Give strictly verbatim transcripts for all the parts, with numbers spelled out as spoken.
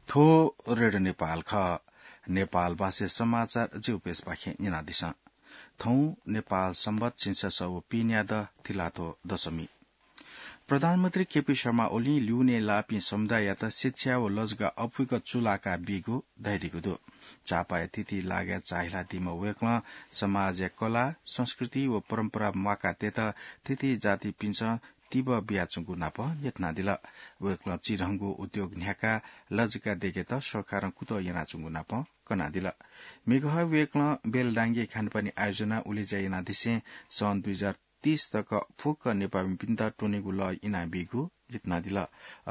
थ्व रेडियो नेपाल खः। नेपाल भाषाय् समाचार जिगु पेजपाखें न्यनादिसँ। थौं नेपाल संवत् झिंछसः व पीन्यादँ तिलाथ्व दशमी। प्रधानमन्त्री केपी शर्मा ओलीं ल्यूने लाःपिं समुदाययात शिक्षा व लजगाः अप्वय्क चूलाका बीगु धयादीगु दु। चापाया थीथी लागाय् चाःहिलादीम्ह वय्कलं समाजया कला, संस्कृति व परम्परा म्वाकातयेत थीथी जातिपिन्सं तिबः बियाच्वंगु नाप न्ह्यथनादिल। वय्कलं चिधंगु उद्योग न्ह्याकाः लजगाः दयेकेत सरकारं कुतः यानाच्वंगु नाप कनादिल। म्हिगः वय्कलं बेलडांगीया खानेपानी आयोजनाय् उलेज्या यानादिसें सन् दुई हजार तीस तक फुक्क नेपाःमिपिन्त त्वनेगु लः इनाबीगु न्ह्यथनादिल।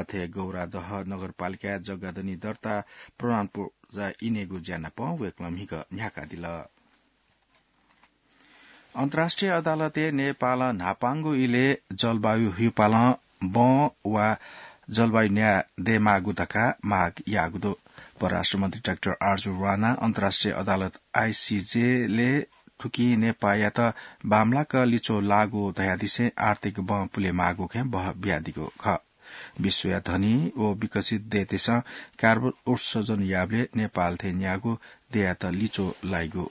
अथे गौरादह नगरपालिकाय् जग्गा दनि दर्ता प्रमाणपत्र इनेगु ज्या नाप वय्कलं म्हिगः न्ह्याकादिल। अन्तर्राष्ट्रिय अदालतय् नेपालं न्हापांगु इलय् जलवायु हुइपालं बँ वा जलवायु न्याय दयेमाःगु धकाः माग याःगु दु। परराष्ट्र मन्त्री डाक्टर आरजु राणां अन्तर्राष्ट्रिय अदालत आइसीजेलय् थुकिं नेपाःयात बांमलाक लिच्वः लाःगु धयादिसें आर्थिक बँ पुलेमाःगु खँय् बहः बियादीगु खः। विश्वया धनी व विकसित देय्‌तय्‌सं कार्बन उत्सर्जन याःबलय् नेपाल थें न्यागू देय्‌यात लिच्वः लाइगु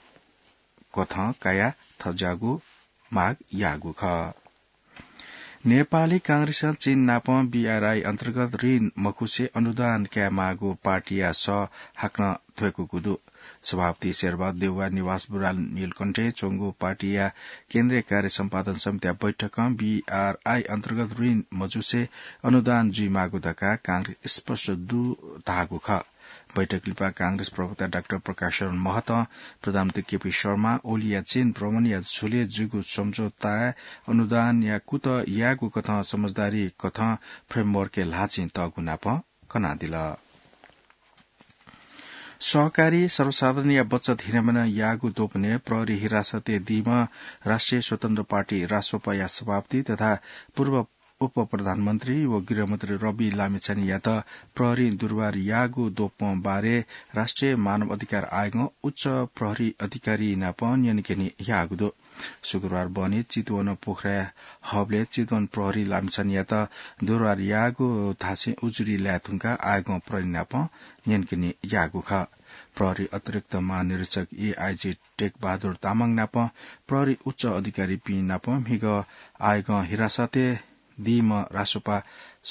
कथं कयाः थज्याःगु माग याःगु खः। नेपाली कांग्रेसं चीन नाप बीआरआई अन्तर्गत ऋण मखुसे अनुदान कायेमाःगु पार्टीया सः हाकनं थ्वय्कूगु दु। सभापति शेरबहादुर देउवाया निवास बुराल नीलकण्ठय् च्वंगु पार्टीया केन्द्रीय कार्य सम्पादन समितिया बैठकं बीआरआई अन्तर्गत ऋण मजुसे अनुदान जुइमाःगु धकाः कांग्रेस स्पष्ट दु धाःगु खः। बैठक लिपा कांग्रेस प्रवक्ता डाक्टर प्रकाश शरण महतं प्रधानमन्त्री केपी शर्मा ओलीया चीन भ्रमणया झ्वलय् जूगु सम्झौताय् अनुदानया कुतः यायेगु कथं समझदारी कथं framework-य् ल्हाःचिं तःगु नाप कनादिल। सहकारी सर्वसाधारणया बचत हिनामिना याःगु द्वपनय् प्रहरी हिरासतय् दीम्ह राष्ट्रिय स्वतन्त्र पार्टी रासोपाया सभापति तथा पूर्व उपप्रधानमन्त्री व गृहमन्त्री रवि लामिछानेयात प्रहरीं दुर्व्यवहार याःगु द्वपं बारे राष्ट्रिय मानव अधिकार आयोगं उच्च प्रहरी अधिकारी नाप न्यनेकने याःगु दु। शुक्रबार बहनी चितवन पोखराया हबलय् चितवन प्रहरी लामिछानेयात दुर्व्यवहार याःगु धासें उजुरी लाये धुंकाः आयोगं प्रहरी नाप न्यनेकने याःगु खः। प्रहरी अतिरिक्त महानिरीक्षक एआइजी टेकबहादुर तामाङ नाप प्रहरी उच्च अधिकारीपिं नाप म्हिगः आयोगं हिरासतय् दीम्ह रासोपा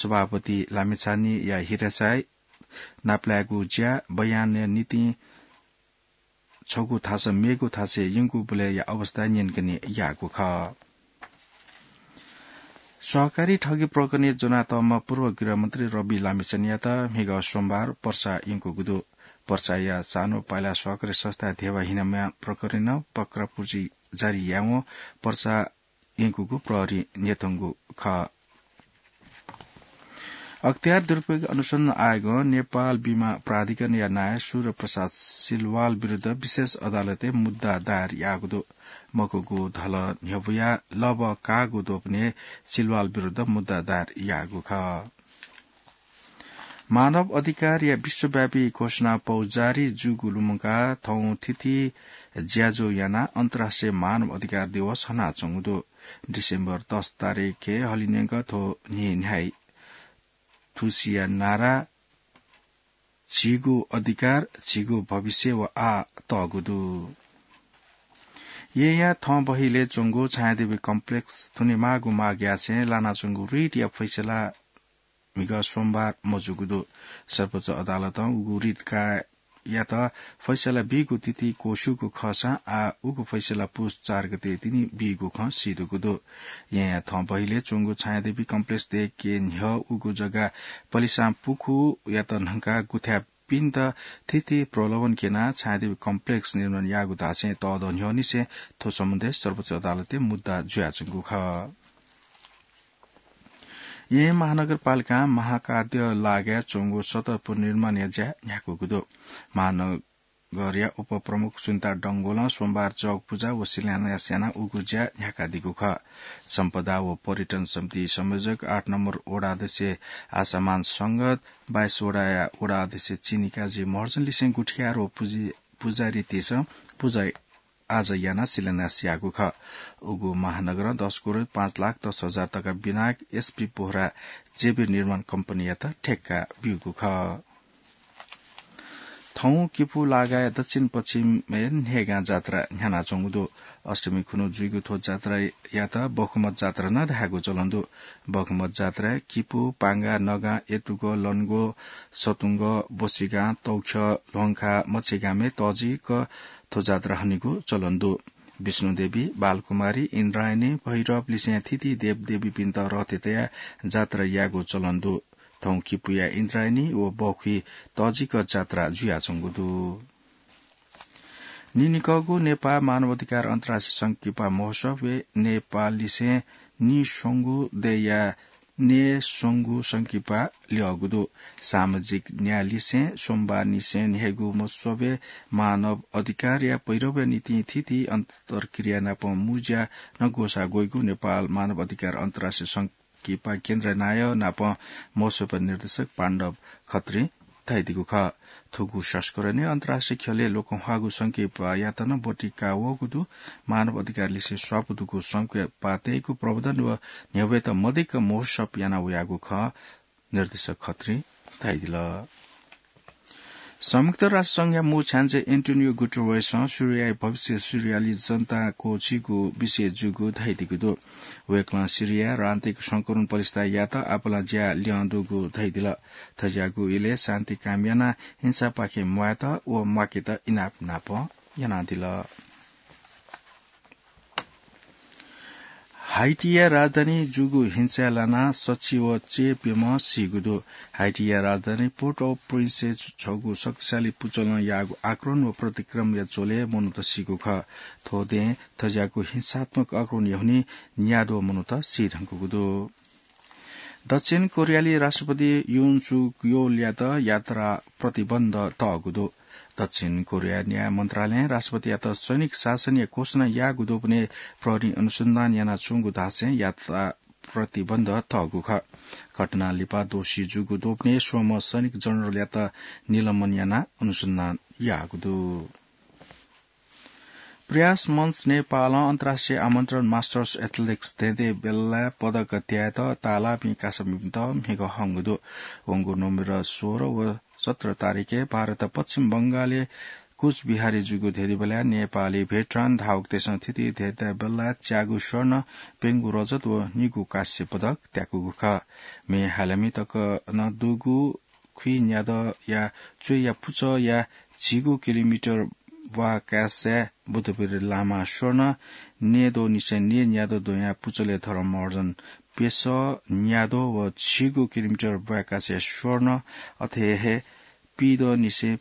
सभापति लामिछानेया हिरासतय् नापलायेगु ज्या बयानया निंतिं छगू थासं मेगु थासय् यंकूबलय्‌या अवस्था न्यनेकने याःगु खः। सहकारी ठगी प्रकरणय् ज्वनातःम्ह पूर्व गृहमन्त्री रवि लामिछानेयात म्हिगः सोमबार पर्सा यंकूगु दु। पर्साया सानो पाय्‌ला सहकारी संस्थाय् धेबा हिनामिना प्रकरणय् पक्रापुर्जी जारी यायेवं पर्सा यंकूगु प्रहरीं न्यंकूगु खः। अख्तियार दुरुपयोग अनुसन्धान आयोगं नेपाल बिमा प्राधिकरणया नायः सूर्य प्रसाद सिलवाल विरुद्ध विशेष अदालतय् मुद्दा दायर याःगु दु। मखुगु धल न्ह्यब्वया लबः काःगु द्वपनय् सिलवाल विरुद्ध मुद्दा दायर याःगु खः। मानव अधिकारया विश्वव्यापी घोषणा पौ जारी जूगु लुमंकाः थौं थीथी ज्याझ्वः यानाः अन्तर्राष्ट्रिय मानव अधिकार दिवस हनाच्वंगु दु। डिसेम्बर दस तारिखय् हलिंन्यंक थ्व न्हि न्ह्याइ थुसिया नारा झीगु अधिकार, झीगु भविष्य व आः तःगु दु। येँया थंबहिलय् च्वंगु छायादेवी कम्प्लेक्स थुनेमाःगु माग यासें लानाच्वंगु रिटया फैसला म्हिगः सोमबार मजूगु दु। सर्वोच्च अदालतं उगु रिट काय्‌यात फैसला बीगु तिथि क्वस्यूगु खःसां आः उगु फैसला पुस चार गते तिनि बीगु खँ सीदुगु दु। येँया थंबहिलय् च्वंगु छायादेवी कम्प्लेक्स दयेके न्ह्यः उगु जग्गा पलिसां पुखूयात न्हंकाः गुथाय्‌पिन्त थीथी प्रलोभन क्यनाः छायादेवी कम्प्लेक्स निर्माण याःगु धासें तःदँ न्ह्यःनिसें थ्व सम्बन्धय् सर्वोच्च अदालतय् मुद्दा जुयाच्वंगु खः। येँ महानगरपालिकां महाकाद्य लागाय् च्वंगु सतह पुनर्निर्माणया ज्या न्ह्याकूगु दु। महानगरया उपप्रमुख सुनिता डंगोलं सोमबार जग पुजा व शिलान्यास यानाः उगु ज्या न्ह्याकादीगु खः। सम्पदा व पर्यटन समिति संयोजक आठ नम्बर वडा अध्यक्ष आशामान संगत, बाइस वडाया वडा अध्यक्ष चिनिकाजी महर्जनलिसें गुठियार व पुजी-, पुजारीतय्‌सं पुजा आजा यानाः शिलान्यास याःगु खः। उगु महानगरं दस करोड पाँच लाख दस हजार तका बिनाक एसपी बोहरा जेबीर निर्माण कम्पनीयात ठेक्का ब्यूगु खः। थौं किपू लागाय् दक्षिण पश्चिमय् न्हय्गां जात्रा न्ह्यानाच्वंगु दु। अष्टमी खुन्हु जुइगु थ्व जात्रायात बखुमत जात्रा नं धायेगु चलन दु। बखुमत जात्राय् किपू, पांगा, नगां, एतुग, लनगो, सतुंग, बोसिगां, तौख्य, ल्वहंखा, मछिगामय् तःजिक थ्व जात्रा हनेगु चलन दु। विष्णुदेवी, बालकुमारी, इन्द्रायणी, भैरव लिसें थीथी देवदेवीपिन्त रथे तयाः जात्रा यायेगु चलन दु। थौं किपूया इन्द्रायणी व बखुइ तःजिक जात्रा जुयाच्वंगु दु। नीनिकःगु नेपाः मानव अधिकार अन्तर्राष्ट्रिय संकिपा महोत्सवय् नेपाललिसें नीस्वंगु देय्‌या नीस्वंगु संकिपा ल्यःगु दु। सामाजिक न्यायलिसें सोमबारनिसें न्हय्‌गू महोत्सवय् मानव अधिकारया पैह्रवया निंतिं थीथी अन्तर्क्रिया नाप मुँज्या नं ग्वसाः ग्वइगु नेपाल मानव अधिकार अन्तर्राष्ट्रिय संकिपा केन्द्र नायः नाप महोत्सवया निर्देशक पाण्डव खत्रीं धयादीगु खः। थुगु संस्करणय् अन्तर्राष्ट्रिय ख्यलय् लोकंह्वाःगु संकिपायात नं ब्वति काः वःगु दु। मानव अधिकारलिसें स्वापू दुगु संकिपातय्‌गु प्रवर्धन व न्ह्यब्वयेत मदिक्क महोत्सव याना वयागु खः, निर्देशक खत्रीं धयादिल। संयुक्त राष्ट्र संघया मू छ्याञ्जे एन्टोनियो गुटेरेसं सिरियाया भविष्य, सिरियाली जनता क्वःछीगु विषय जूगु धयादीगु दु। वय्‌कलं सिरियाय् राजनीतिक संकलन पलिस्था यायेत आपालं ज्या ल्यं दुगु धयादिल। थज्याःगु इलय् शान्ति कायम यानाः हिंसापाखें म्वायेत व म्वाकेत इनाप नाप यानादिल। हाइटिया राजधानी जूगु हिंसाय् लानाः सच्छि व चय्‌प्यम्ह सीगु दु। हाइटिया राजधानी पोर्ट ओ प्रिन्सय् छगू शक्तिशाली पुचलं याःगु आक्रमण व प्रतिक्रमया झ्वलय् मनूत सीगु खः। थ्व दँय् थज्याःगु हिंसात्मक आक्रमणया हुनिं न्याद्वः मनूत सी धुंकूगु दु। दक्षिण कोरियाली राष्ट्रपति युन सुक योलयात यात्रा प्रतिबन्ध तःगु दु। दक्षिण कोरिया न्याय मन्त्रालयं राष्ट्रपतियात सैनिक शासनया घोषणा याःगु दुबलय् प्रहरीं अनुसन्धान यानाच्वंगु धासें यात्रा प्रतिबन्ध तःगु खः। घटनां लिपा दोषी जूगु दुबलय् स्वम्ह सैनिक जनरलयात निलम्बन यानाः अनुसन्धान याःगु दु। प्रयास मञ्च नेपालं अन्तर्राष्ट्रिय आमन्त्रण मास्टर्स एथलेटिक्स दँय्‌दँय् बेल्लाय् पदक त्यायेत ताःलाःपिं कासामिपिन्त म्हिगः हंगु दु। वंगु नोभेम्बर सोह्र व सत्र तारिखय् भारत पश्चिम बंगालय् कुचबिहारय् जूगु दँय्‌दँय् बेल्लाय् नेपाली भेटरान धावकतय्‌सं थीथी दँय्‌दँय् बेल्लाय् च्यागू स्वर्ण, प्यंगू रजत व निगू कांस्य पदक त्याकूगु खः। म्ये हालामि तक नं दुगु खुइन्यादँया च्वय्‌या पुचःया झिगू किलोमिटर ब्वाँय् काय्‌साय् बुधवीर लामा स्वर्ण, न्येदँनिसें न्येन्यादँ द्वयाः पुचलय् धर्म महर्जन प्यसः न्यादँ व झिगू किलोमिटर ब्वाँय् काय्‌साय् स्वर्ण, अथे हे पीदँनिसें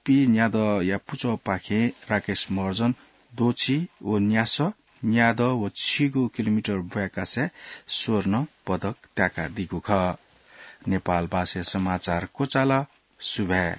पीन्यादँया पुचःपाखें राकेश महर्जन द्वःछि व न्यासः न्यादँ व झिगू किलोमिटर ब्वाँय् काय्‌साय् स्वर्ण पदक त्याकादीगु खः। नेपालभाषाय् समाचार क्वचाल। सुभाय्।